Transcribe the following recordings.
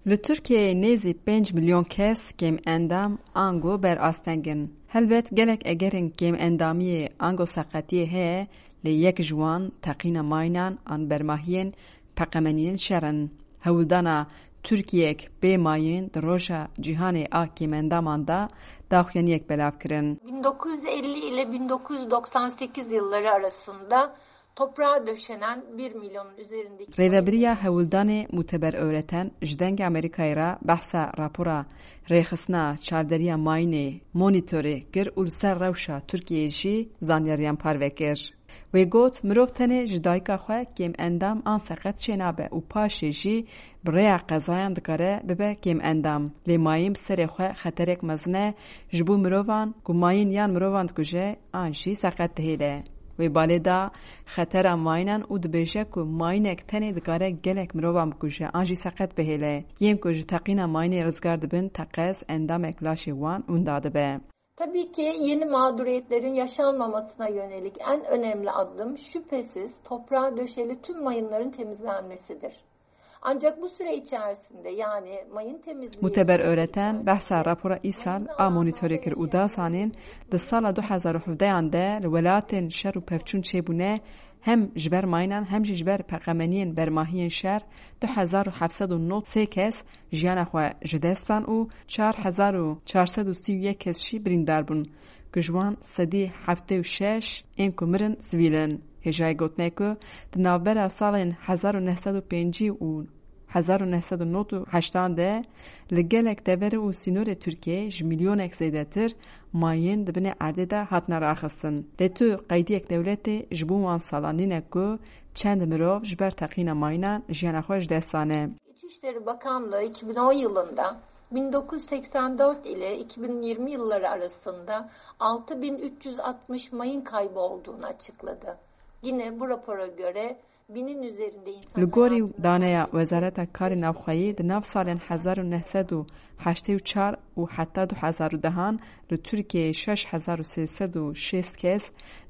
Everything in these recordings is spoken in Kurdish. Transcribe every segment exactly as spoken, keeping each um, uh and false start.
Li Tirkiyeyê nêzî pênc milyon kes kêm endam ango ber asteng in. Helbet gelek egerên kêm endamiyê ango seqetiyê heye, lê yek ji wan teqîna mayînan an bermahiyên peqemeniyên şer in. Hewldana Tirkiyeyek bê mayîn di roja cîhanê a kêmendaman de daxuyaniyek belav kirin. bin dokuz yüz elli ile bin dokuz yüz doksan sekiz yılları arasında toprağa döşenen bir milyonun üzerindeki Rêvebiriya hewldanê Muteber Öğreten ji Dengê Amerîkayê re behsa rapora rêxistina çavderiya mayînê, monitorê, kir û li ser rewşa Tirkiyeyê jî zanyariyan parve kir. Wê got, mirov tenê ji dayika xwe kêm endam an seqet çênabe û paşê jî bi rêya qezayan dikare bibe kêm endam. Lê mayîn bi serê xwe xeterek mezin e ji bo mirovan ku mayîn yan mirovan dikuje an jî seqet dihêle. Wê balê da xetera mayînan û dibêje ku mayînek tenê dikare gelek mirovan bikuje an jî seqet bihêle. Yên ku ji teqîna mayînê rizgar dibin teqez endamek laşê wan winda dibe. Tabii ki yeni mağduriyetlerin yaşanmamasına yönelik en önemli adım şüphesiz toprağa döşeli tüm mayınların temizlenmesidir. Ancak bu süre içerisinde, yani mayın temizliği Muteber süresi Öğreten içerisinde behsa rapora îsal a monitorê kir û da zanîn, di sala du hezar û hevdeyan de li welatên şer û pevçûn çêbûne, hem ji ber mayînan hem jî ji ber peqemeniyên bermahiyên şer du hezar û heft sed û nod sê kes jiyana xwe ji dest dan û çar hezar û çar sed û sî û yek kes jî birîndar bûn, ku ji wan sedî heftê û şeş ên ku mirin sivîl in. Hêjayê gotinê ku di navbera salên hezar û neh sed û pêncî û hezar û neh sed û nod û heştan de li gelek dever û sînorê Tirkiyeyê ji milyonek zêdetir mayîn di binê erdê de hatine raxistin. Lê tu qeydiyek dewletê ji bo wan salan nîne ku çend mirov ji ber teqîna mayînan jiyana xwe ji dest dane. İçişleri Bakanlığı iki bin on yılında bin dokuz yüz seksen dört ile iki bin yirmi yılları arasında altı bin üç yüz altmış mayın kaybı olduğunu açıkladı. Yine bu rapora göre binin üzerinde insan Li gorî daneya Wezareta Karê Navxweyî, di nav salên hezar û neh sed û heştê û çar û heta du hezar û dehan li Tirkiyeyê şeş hezar û sê sed û şêst kes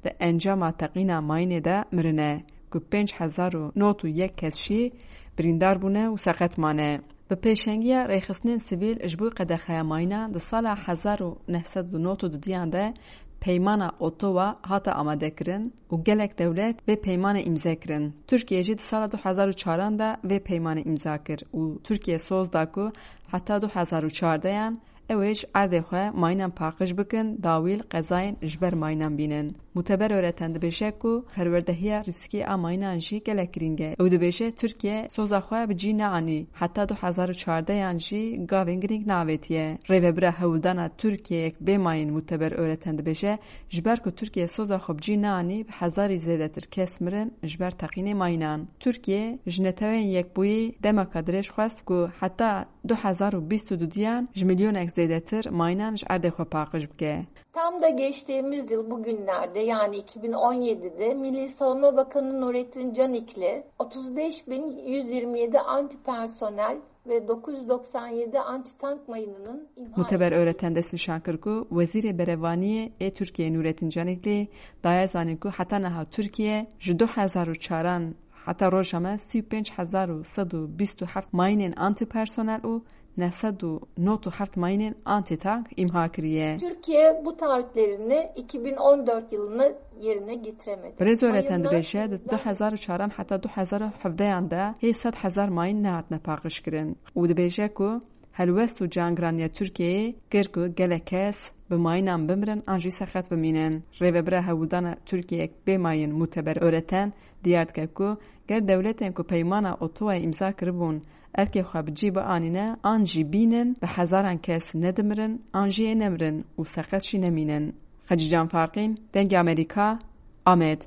di encama teqîna mayînê de mirine, ku pênc hezar û nod û yek kes jî birîndar bûne û seqet mane. Bi pêşengiya rêxistinên sivîl ji bo qedexeya mayîna di sala hezar û neh sed û nod û dudiyan de peymana Ottawa hate amadekirin û gelek dewlet vê peymanê îmze kirin. Tirkiye jî di sala du hezar û çaran de vê peymanê îmza kir û Tirkiye soz da ku heta du hezar û çardeyan ew ê ji erdê xwe mayînan paqij bikin, dawî li qezayên ji ber mayînan bînin. Muteber Öğreten dibêje ku perwerdehiya rîskî a mayînan jî gelek girîng e. Ew dibêje Tirkiye soza xwe bi cî neanî heta du hezar û çardeyan jî gavên girîng neavêtiye. Rêvebira hewldana Tirkiyeyek bê mayîn Muteber Öğreten dibêje, ji ber ku Tirkiye soza xwe bi cî neanî bi hezarî zêdetir kes mirin ji ber teqînê mayînan. Tirkiye ji Neteweyên Yekbûyî demeka dirêj xwest ku heta du hezar û bîst û dudiyan ji milyonek zêdetir mayînan ji erdê xwe paqij bike. Tam da geçtiğimiz yıl bugünlerde, yani iki bin on yedide Milli Savunma Bakanı Nurettin Canikli otuz beş bin yüz yirmi yedi anti personel ve dokuz yüz doksan yedi anti tank mayınının imha Muteber Öğreten destnîşan kir ku Wezîrê Berevaniyê ê Tirkiyeyê Nurettin Canikli daye zanîn ku heta niha Tirkiye ji du hezar û çaran heta roja me sî û pênc hezar û sed û bîst û heft mayînên antipersonel û neh sed û nod û heft mayînên antitank îmha kiriye. Türkiye bu taahhütlerini iki bin on dört yılına yerine getiremedi. Birêz Öğreten dibêje, di du hezar û çaran heta du hezar û hevdeyan de hê sed hezar mayîn nehatine paqijkirin û dibêje ku helwest û cangiraniya Tirkiyeyê kir ku gelek kes bi mayînan bimirin an jî seqet bimînin. Rêvebira hewldana Tirkiyeyek bê mayîn Muteber Öğreten diyar dike ku ger dewletên ku peymana Ottawayê îmza kiribûn erkê xwe bi cî bianîne an jî bînin, bi hezaran kes nedimirin an jî ê nemirin û seqet jî nemînin. Xecîcan Farqîn, Dengê Amerîka, Amed.